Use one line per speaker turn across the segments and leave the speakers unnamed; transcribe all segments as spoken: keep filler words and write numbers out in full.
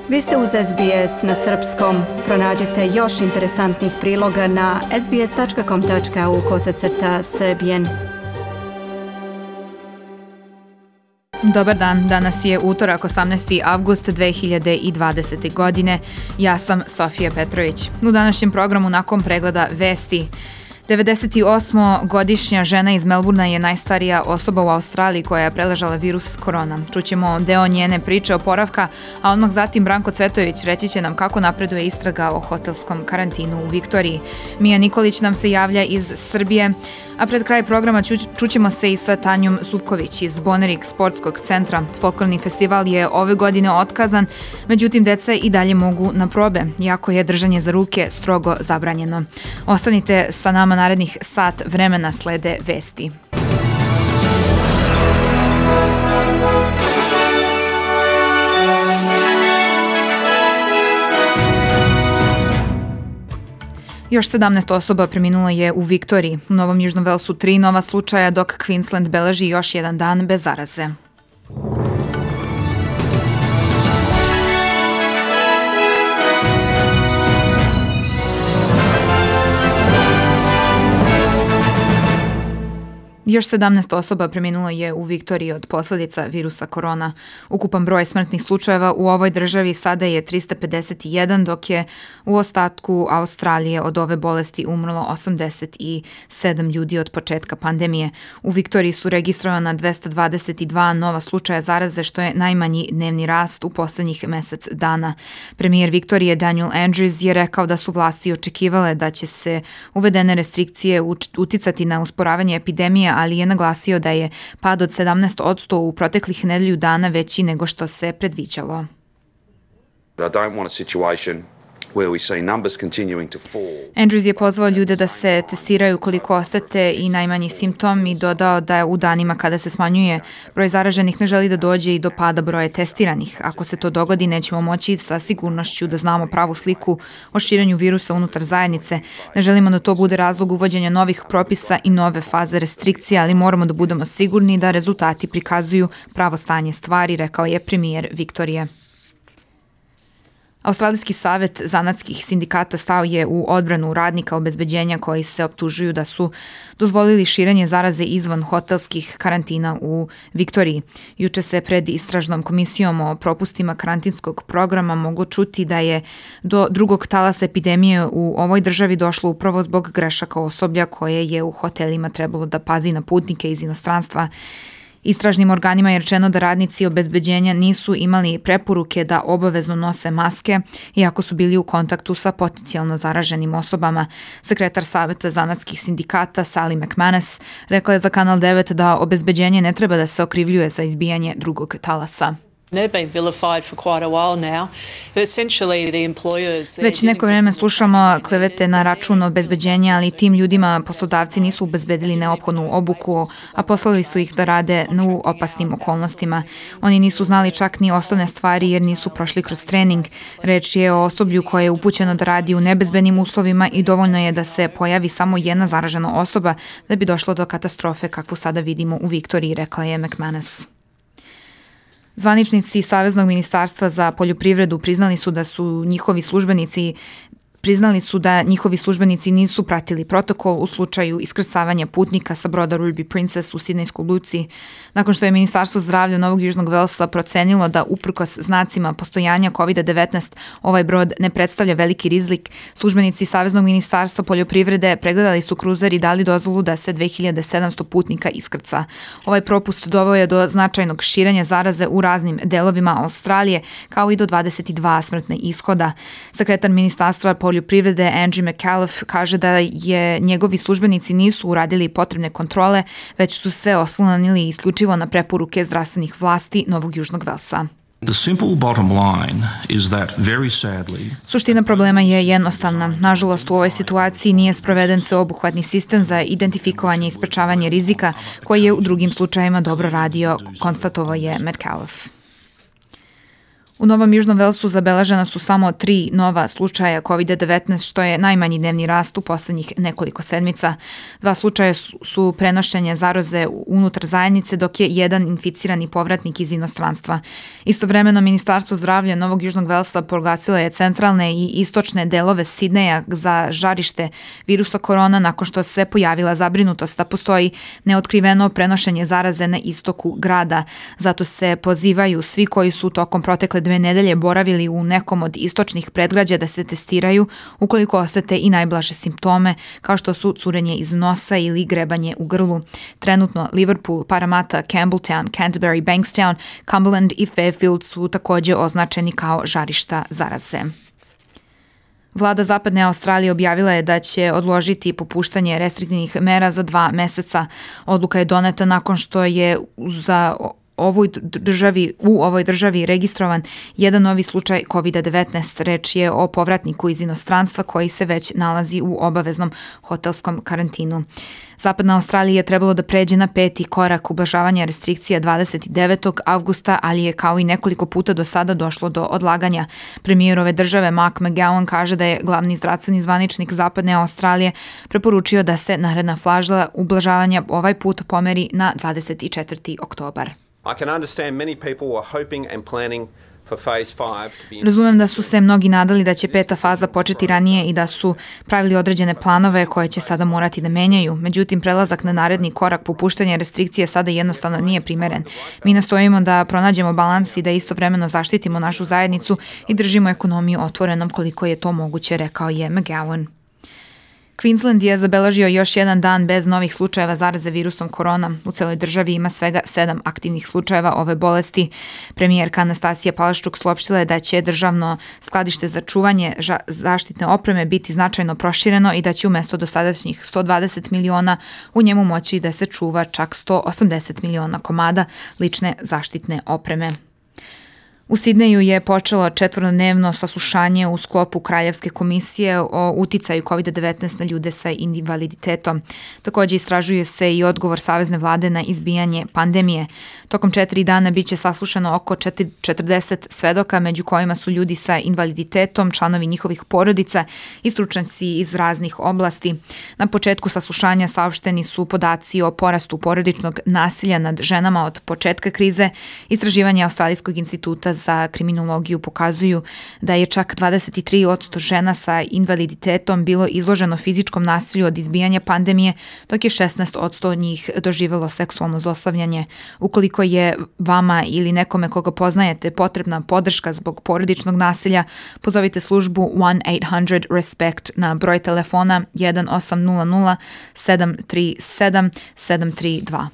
Vi ste uz S B S na srpskom. Pronađite još interesantnih priloga na sbs.com.au kosacrta srbijen.
Dobar dan, danas je utorak osamnaesti avgust dve hiljade dvadesete. godine. Ja sam Sofija Petrović. U današnjem programu nakon pregleda vesti. devedesetosmogodišnja žena iz Melburna je najstarija osoba u Australiji koja je preležala virus korona. Čućemo deo njene priče oporavka, a odmah zatim Branko Cvetojević reći će nam kako napreduje istraga o hotelskom karantinu u Viktoriji. Mija Nikolić nam se javlja iz Srbije, a pred kraj programa ču, čućemo se i sa Tanjom Supković iz Bonerik sportskog centra. Folklorni festival je ove godine otkazan, međutim deca i dalje mogu na probe, iako je držanje za ruke strogo zabranjeno. Ostanite sa nama narednih sat vremena, slede vesti. Još sedamnaest osoba preminulo je u Viktoriji. U Novom Južnom Velsu tri nova slučaja, dok Queensland beleži još jedan dan bez zaraze. Još sedamnaest osoba preminulo je u Viktoriji od posljedica virusa korona. Ukupan broj smrtnih slučajeva u ovoj državi sada je trista pedeset jedan, dok je u ostatku Australije od ove bolesti umrlo osamdeset sedam ljudi od početka pandemije. U Viktoriji su registrovana dvesta dvadeset dva nova slučaja zaraze, što je najmanji dnevni rast u posljednjih mesec dana. Premijer Viktorije Daniel Andrews je rekao da su vlasti očekivale da će se uvedene restrikcije uticati na usporavanje epidemije, ali je naglasio da je pad od sedamnaest posto u proteklih nedelju dana veći nego što se predviđalo.
I don't want a situation where we see numbers continuing to fall.
Andrews je pozvao ljude da se testiraju koliko osete i najmanji simptom i dodao da je u danima kada se smanjuje broj zaraženih ne želi da dođe i do pada broja testiranih. Ako se to dogodi, nećemo moći sa sigurnošću da znamo pravu sliku o širenju virusa unutar zajednice. Ne želimo da to bude razlog uvođenja novih propisa i nove faze restrikcija, ali moramo da budemo sigurni da rezultati prikazuju pravo stanje stvari, rekao je premijer Viktorije. Australijski savet zanatskih sindikata stao je u odbranu radnika obezbeđenja koji se optužuju da su dozvolili širenje zaraze izvan hotelskih karantina u Viktoriji. Juče se pred istražnom komisijom o propustima karantinskog programa moglo čuti da je do drugog talasa epidemije u ovoj državi došlo upravo zbog grešaka osoblja koje je u hotelima trebalo da pazi na putnike iz inostranstva. Istražnim organima je rečeno da radnici obezbeđenja nisu imali preporuke da obavezno nose maske, iako su bili u kontaktu sa potencijalno zaraženim osobama. Sekretar Saveta zanatskih sindikata Sally McManus rekla je za Kanal devet da obezbeđenje ne treba da se okrivljuje za izbijanje drugog talasa. Već neko vreme slušamo klevete na račun obezbeđenja, ali tim ljudima poslodavci nisu obezbedili neophodnu obuku, a poslali su ih da rade u opasnim okolnostima. Oni nisu znali čak ni osnovne stvari jer nisu prošli kroz trening. Reč je o osoblju koje je upućeno da radi u nebezbednim uslovima i dovoljno je da se pojavi samo jedna zaražena osoba da bi došlo do katastrofe kakvu sada vidimo u Viktoriji, rekla je McManus. Zvaničnici Saveznog ministarstva za poljoprivredu priznali su da su njihovi službenici Priznali su da njihovi službenici nisu pratili protokol u slučaju iskrcavanja putnika sa broda Ruby Princess u Sidnejskoj luci. Nakon što je Ministarstvo zdravlja Novog Južnog Velsa procenilo da uprkos znacima postojanja kovid devetnaest ovaj brod ne predstavlja veliki rizik, službenici Saveznog ministarstva poljoprivrede pregledali su kruzer i dali dozvolu da se dve hiljade sedamsto putnika iskrca. Ovaj propust doveo je do značajnog širenja zaraze u raznim delovima Australije, kao i do dvadeset dva smrtne ishoda. Sekretar Ministarstva poljoprivrede poljoprivrede Angie McAuliffe kaže da je njegovi službenici nisu uradili potrebne kontrole, već su se oslonili isključivo na preporuke zdravstvenih vlasti Novog Južnog Velsa.
The simple bottom line is that very sadly,
Suština problema je jednostavna. Nažalost, u ovoj situaciji nije sproveden sveobuhvatni sistem za identifikovanje i sprečavanje rizika koji je u drugim slučajevima dobro radio, konstatovao je McAuliffe. U Novom Južnom Velsu zabeležena su samo tri nova slučaja kovid devetnaest, što je najmanji dnevni rast u poslednjih nekoliko sedmica. Dva slučaja su prenošenje zaraze unutar zajednice, dok je jedan inficirani povratnik iz inostranstva. Istovremeno, Ministarstvo zdravlja Novog Južnog Velsa proglasilo je centralne i istočne delove Sidneja za žarište virusa korona nakon što se pojavila zabrinutost da postoji neotkriveno prenošenje zaraze na istoku grada. Zato se pozivaju svi koji su tokom protekle dve nedelje boravili u nekom od istočnih predgrađa da se testiraju ukoliko osete i najblaže simptome, kao što su curenje iz nosa ili grebanje u grlu. Trenutno Liverpool, Parramatta, Campbelltown, Canterbury, Bankstown, Cumberland i Fairfield su takođe označeni kao žarišta zaraze. Vlada Zapadne Australije objavila je da će odložiti popuštanje restriktivnih mera za dva meseca. Odluka je doneta nakon što je za ovoj državi, u ovoj državi registrovan jedan novi slučaj kovid devetnaest. Reč je o povratniku iz inostranstva koji se već nalazi u obaveznom hotelskom karantinu. Zapadna Australija je trebalo da pređe na peti korak ublažavanja restrikcija dvadeset devetog avgusta, ali je kao i nekoliko puta do sada došlo do odlaganja. Premijer ove države Mark McGowan kaže da je glavni zdravstveni zvaničnik Zapadne Australije preporučio da se naredna faza ublažavanja ovaj put pomeri na dvadeset četvrti oktobar.
I can understand many people were hoping and planning for phase five to be.
Razumem da su se mnogi nadali da će peta faza početi ranije i da su pravili određene planove koje će sada morati da menjaju. Međutim, prelazak na naredni korak popuštanja restrikcije sada jednostavno nije primeren. Mi nastojimo da pronađemo balans i da istovremeno zaštitimo našu zajednicu i držimo ekonomiju otvorenom koliko je to moguće, rekao je McGowan. Queensland je zabeležio još jedan dan bez novih slučajeva zaraze virusom korona. U celoj državi ima svega sedam aktivnih slučajeva ove bolesti. Premijerka Anastasija Palaščuk saopštila je da će državno skladište za čuvanje zaštitne opreme biti značajno prošireno i da će umesto dosadašnjih sto dvadeset miliona u njemu moći da se čuva čak sto osamdeset miliona komada lične zaštitne opreme. U Sidneju je počelo četvorodnevno saslušanje u sklopu Kraljevske komisije o uticaju kovid devetnaest na ljude sa invaliditetom. Takođe istražuje se i odgovor savezne vlade na izbijanje pandemije. Tokom četiri dana biće saslušano oko četrdeset svedoka, među kojima su ljudi sa invaliditetom, članovi njihovih porodica i stručnjaci iz raznih oblasti. Na početku saslušanja saopšteni su podaci o porastu porodičnog nasilja nad ženama od početka krize. Istraživanje Australijskog instituta za kriminologiju pokazuju da je čak dvadeset tri posto žena sa invaliditetom bilo izloženo fizičkom nasilju od izbijanja pandemije, dok je šesnaest posto od njih doživelo seksualno zlostavljanje. Ukoliko je vama ili nekome koga poznajete potrebna podrška zbog porodičnog nasilja, pozovite službu one eight hundred respect na broj telefona jedan osam nula nula sedam tri sedam sedam tri dva.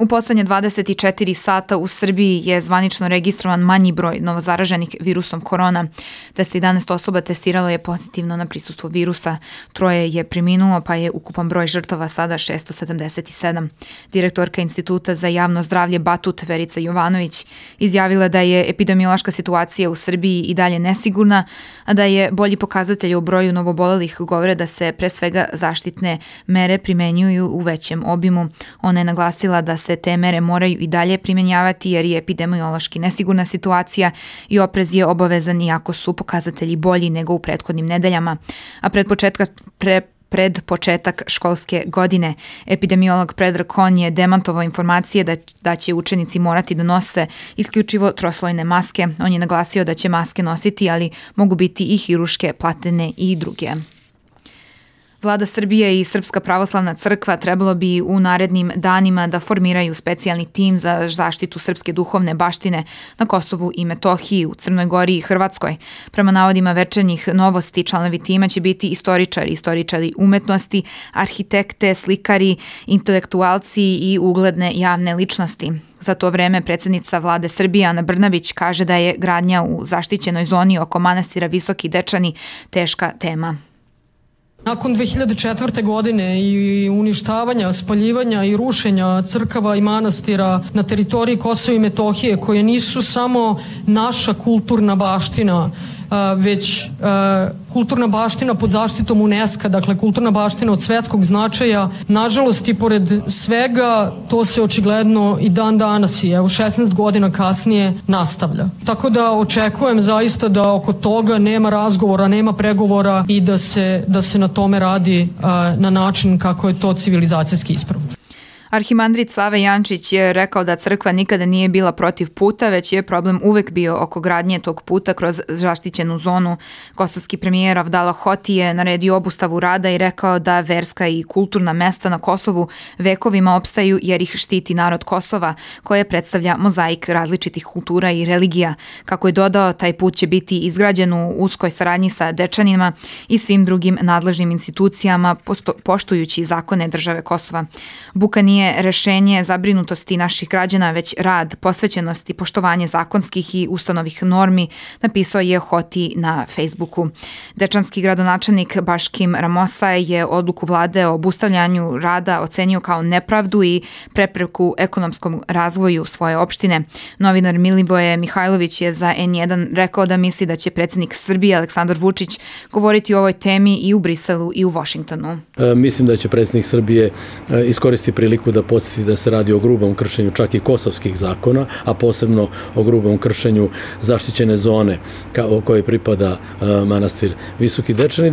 U poslednje dvadeset četiri sata u Srbiji je zvanično registrovan manji broj novozaraženih virusom korona. dvesta jedanaest osoba testiralo je pozitivno na prisustvo virusa. Troje je preminulo, pa je ukupan broj žrtava sada šesto sedamdeset sedam. Direktorka Instituta za javno zdravlje Batut Verica Jovanović izjavila da je epidemiološka situacija u Srbiji i dalje nesigurna, a da je bolji pokazatelj u broju novobolelih govore da se pre svega zaštitne mere primenjuju u većem obimu. Ona je naglasila da se te mere moraju i dalje primjenjavati jer je epidemiološki nesigurna situacija i oprez je obavezan iako su pokazatelji bolji nego u prethodnim nedeljama. A pred početka pre Pred početak školske godine epidemiolog Predrag Kon je demantovao informacije da, da će učenici morati da nose isključivo troslojne maske. On je naglasio da će maske nositi, ali mogu biti i hiruške, platene i druge. Vlada Srbije i Srpska pravoslavna crkva trebalo bi u narednim danima da formiraju specijalni tim za zaštitu srpske duhovne baštine na Kosovu i Metohiji, u Crnoj Gori i Hrvatskoj. Prema navodima Večernjih novosti, članovi tima će biti istoričari, istoričari umetnosti, arhitekte, slikari, intelektualci i ugledne javne ličnosti. Za to vreme predsjednica vlade Srbije Ana Brnabić kaže da je gradnja u zaštićenoj zoni oko manastira Visoki Dečani teška tema.
Nakon dve hiljade četvrte. godine i uništavanja, spaljivanja i rušenja crkava i manastira na teritoriji Kosova i Metohije, koje nisu samo naša kulturna baština, već kulturna baština pod zaštitom UNESCO, dakle kulturna baština od svetskog značaja. Nažalost i pored svega to se očigledno i dan danas i evo šesnaest godina kasnije nastavlja. Tako da očekujem zaista da oko toga nema razgovora, nema pregovora i da se, da se na tome radi na način kako je to civilizacijski ispravno.
Arhimandrit Save Jančić je rekao da crkva nikada nije bila protiv puta, već je problem uvek bio oko gradnje tog puta kroz zaštićenu zonu. Kosovski premijer Avdala Hoti je naredio obustavu rada i rekao da verska i kulturna mesta na Kosovu vekovima opstaju jer ih štiti narod Kosova, koje predstavlja mozaik različitih kultura i religija. Kako je dodao, taj put će biti izgrađen u uskoj saradnji sa Dečanima i svim drugim nadležnim institucijama, poštujući zakone države Kosova. Buka nije rešenje zabrinutosti naših građana, već rad, posvećenost i poštovanje zakonskih i ustanovih normi, napisao je Hoti na Facebooku. Dečanski gradonačelnik Baškim Ramosa je odluku vlade o obustavljanju rada ocenio kao nepravdu i prepreku ekonomskom razvoju svoje opštine. Novinar Milivoje Mihajlović je za en jedan rekao da misli da će predsjednik Srbije Aleksandar Vučić govoriti o ovoj temi i u Briselu i u Washingtonu.
E, mislim da će predsjednik Srbije e, iskoristiti priliku da posjeti da se radi o grubom kršenju čak i kosovskih zakona, a posebno o grubom kršenju zaštićene zone o kojoj pripada manastir Visoki Dečani.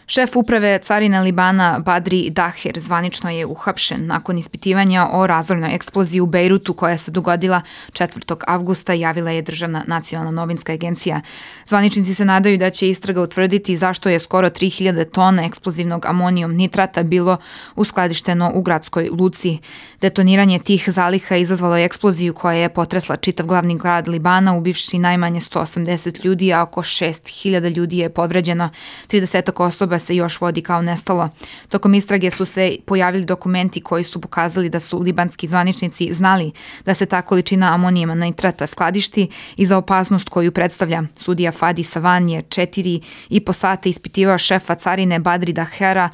Šef uprave carine Libana Badri Daher zvanično je uhapšen nakon ispitivanja o razornoj eksploziji u Bejrutu koja se dogodila četvrtog avgusta, javila je Državna nacionalna novinska agencija. Zvaničnici se nadaju da će istraga utvrditi zašto je skoro tri hiljade tona eksplozivnog amonijum nitrata bilo uskladišteno u gradskoj luci. Detoniranje tih zaliha izazvalo je eksploziju koja je potresla čitav glavni grad Libana, ubivši najmanje sto osamdeset ljudi, a oko šest hiljada ljudi je povređeno. trideset osoba se još vodi kao nestalo. Tokom istrage su se pojavili dokumenti koji su pokazali da su libanski zvaničnici znali da se ta količina amonijuma nitrata skladišti i za opasnost koju predstavlja. Sudija Fadi Savan je četiri i po sata ispitivao šefa carine Badri Dahera,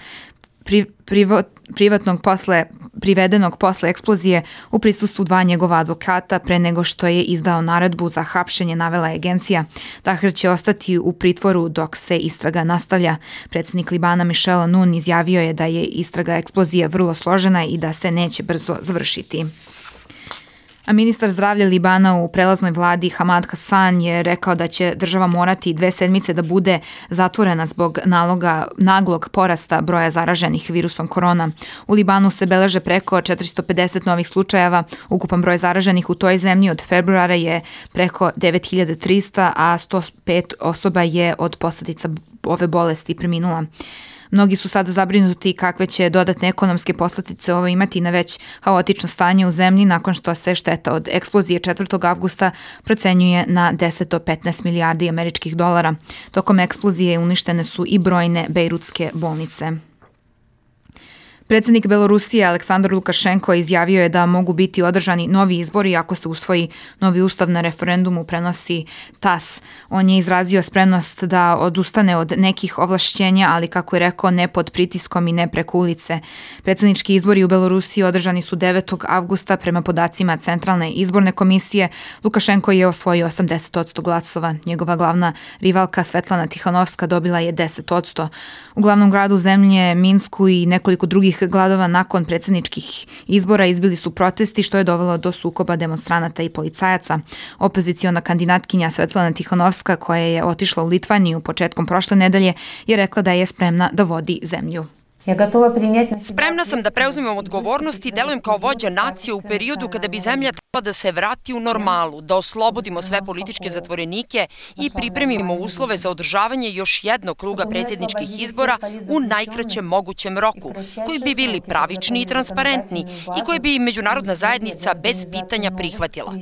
pri, privo, privatnog posle, privedenog posle eksplozije u prisustvu dva njegova advokata pre nego što je izdao naredbu za hapšenje, navela je agencija. Daher će ostati u pritvoru dok se istraga nastavlja. Predsjednik Libana Michel Aoun izjavio je da je istraga eksplozije vrlo složena i da se neće brzo završiti. A ministar zdravlja Libana u prelaznoj vladi Hamad Hassan je rekao da će država morati dve sedmice da bude zatvorena zbog naloga, naglog porasta broja zaraženih virusom korona. U Libanu se beleže preko četiristo pedeset novih slučajeva. Ukupan broj zaraženih u toj zemlji od februara je preko devet hiljada trista, a sto pet osoba je od posljedica ove bolesti preminula. Mnogi su sada zabrinuti kakve će dodatne ekonomske posljedice ovo imati na već haotično stanje u zemlji nakon što se šteta od eksplozije četvrtog avgusta procenjuje na deset do petnaest milijardi američkih dolara. Tokom eksplozije uništene su i brojne bejrutske bolnice. Predsjednik Belorusije Aleksandar Lukašenko izjavio je da mogu biti održani novi izbori ako se usvoji novi ustav na referendumu, prenosi tas. On je izrazio spremnost da odustane od nekih ovlašćenja, ali kako je rekao, ne pod pritiskom i ne preko ulice. Predsjednički izbori u Belorusiji održani su devetog avgusta prema podacima Centralne izborne komisije. Lukašenko je osvojio osamdeset posto glasova. Njegova glavna rivalka Svetlana Tihanovska dobila je deset posto. U glavnom gradu zemlje Minsku i nekoliko drugih gradova nakon predsjedničkih izbora izbili su protesti, što je dovelo do sukoba demonstranata i policajaca. Opoziciona kandidatkinja Svetlana Tihanovska, koja je otišla u Litvaniju početkom prošle nedelje, je rekla da je spremna da vodi zemlju.
Spremna sam da preuzmem odgovornost i delujem kao vođa nacije u periodu kada bi zemlja trebala da se vrati u normalu, da oslobodimo sve političke zatvorenike i pripremimo uslove za održavanje još jednog kruga predsjedničkih izbora u najkraćem mogućem roku, koji bi bili pravični i transparentni i koji bi međunarodna zajednica bez pitanja prihvatila.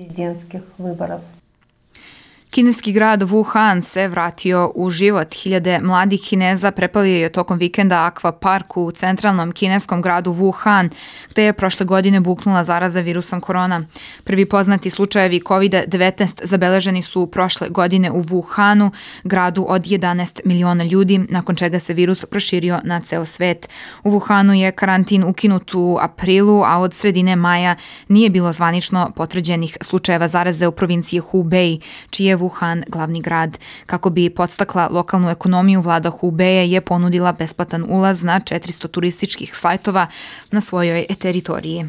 Kineski grad Wuhan se vratio u život. Hiljade mladih Kineza preplavio je tokom vikenda akvapark u centralnom kineskom gradu Wuhan, gde je prošle godine buknula zaraza virusom korona. Prvi poznati slučajevi kovid devetnaest zabeleženi su prošle godine u Wuhanu, gradu od jedanaest miliona ljudi, nakon čega se virus proširio na ceo svet. U Wuhanu je karantin ukinut u aprilu, a od sredine maja nije bilo zvanično potvrđenih slučajeva zaraze u provinciji Hubei, čiji je Wuhan glavni grad. Kako bi podstakla lokalnu ekonomiju, vlada Hubeja je ponudila besplatan ulaz na četiristo turističkih sajtova na svojoj teritoriji.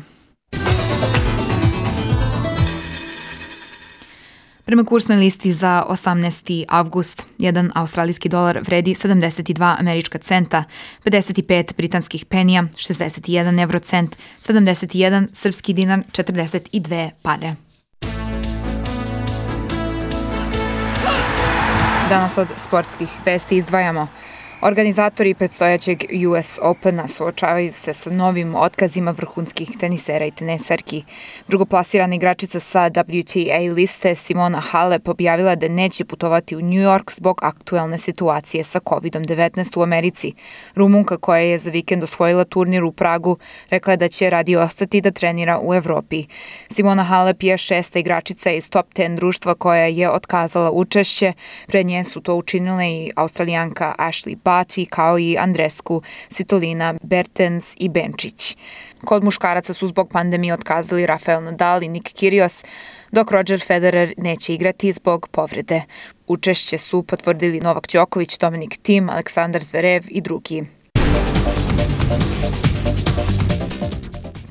Prema kursnoj listi za osamnaesti avgust, jedan australijski dolar vredi sedamdeset dva američka centa, pedeset pet britanskih penija, šezdeset jedan evrocent, sedamdeset jedan srpski dinar, četrdeset dve pare. Danas od sportskih vesti izdvajamo. Organizatori predstojećeg U S Opena suočavaju se sa novim otkazima vrhunskih tenisera i tenisarki. Drugoplasirana igračica sa W T A liste Simona Halep objavila da neće putovati u New York zbog aktuelne situacije sa kovid devetnaest u Americi. Rumunka koja je za vikend osvojila turnir u Pragu rekla je da će radi ostati da trenira u Evropi. Simona Halep je šesta igračica iz top deset društva koja je otkazala učešće. Pred nje su to učinile i Australijanka Ashley Barty kao i Andrescu, Svitolina, Bertens i Benčić. Kod muškaraca su zbog pandemije otkazali Rafael Nadal i Nick Kyrgios, dok Roger Federer neće igrati zbog povrede. Učešće su potvrdili Novak Đoković, Dominic Thiem, Aleksandar Zverev i drugi.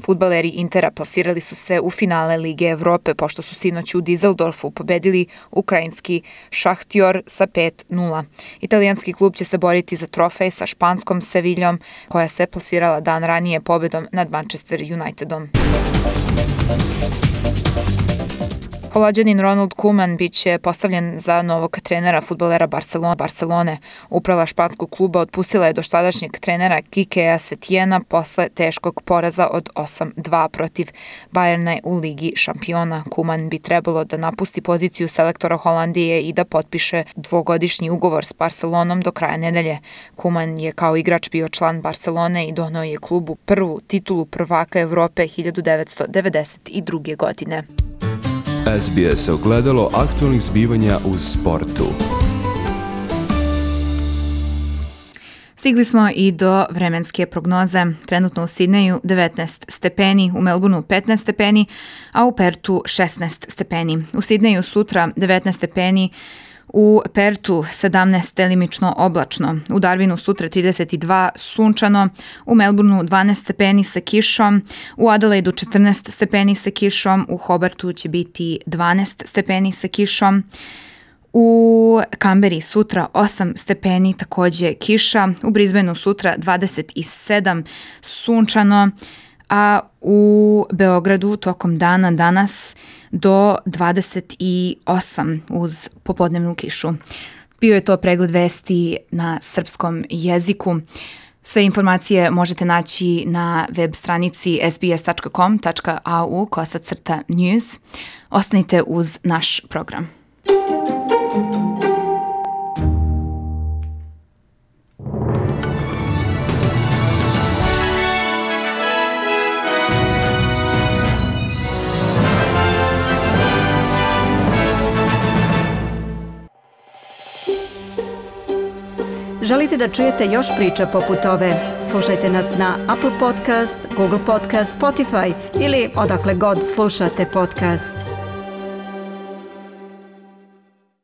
Fudbaleri Intera plasirali su se u finale Lige Evrope pošto su sinoć u Dizeldorfu pobedili ukrajinski Šahtjor sa pet nula. Italijanski klub će se boriti za trofej sa španskom Seviljom koja se plasirala dan ranije pobedom nad Manchester Unitedom. Holanđanin Ronald Koeman biće postavljen za novog trenera fudbalera Barcelona. Barcelone. Uprava španskog kluba otpustila je doštadašnjeg trenera Kikea Setijena posle teškog poraza od osam dva protiv Bayerna u Ligi šampiona. Koeman bi trebalo da napusti poziciju selektora Holandije i da potpiše dvogodišnji ugovor s Barcelonom do kraja nedelje. Koeman je kao igrač bio član Barcelone i doneo je klubu prvu titulu prvaka Evrope hiljadu devetsto devedeset druge. godine.
S B S ogledalo aktualnih zbivanja u sportu.
Stigli smo i do vremenske prognoze. Trenutno u Sidneju devetnaest stepeni, u Melbourneu petnaest stepeni, a u Pertu šesnaest stepeni. U Sidneju sutra devetnaest stepeni, u Pertu sedamnaest delimično oblačno, u Darwinu sutra trideset dva sunčano, u Melbourneu dvanaest stepeni sa kišom, u Adelaidu četrnaest stepeni sa kišom, u Hobartu će biti dvanaest stepeni sa kišom, u Kamberi sutra osam stepeni, takođe kiša, u Brisbaneu sutra dvadeset sedam sunčano, a u Beogradu tokom dana danas do dvadeset osam uz popodnevnu kišu. Bio je to pregled vesti na srpskom jeziku. Sve informacije možete naći na web stranici s b s tačka com tačka a u kosacrta news. Ostanite uz naš program.
Želite da čujete još priča poput ove? Slušajte nas na Apple Podcast, Google Podcast, Spotify ili odakle god slušate podcast.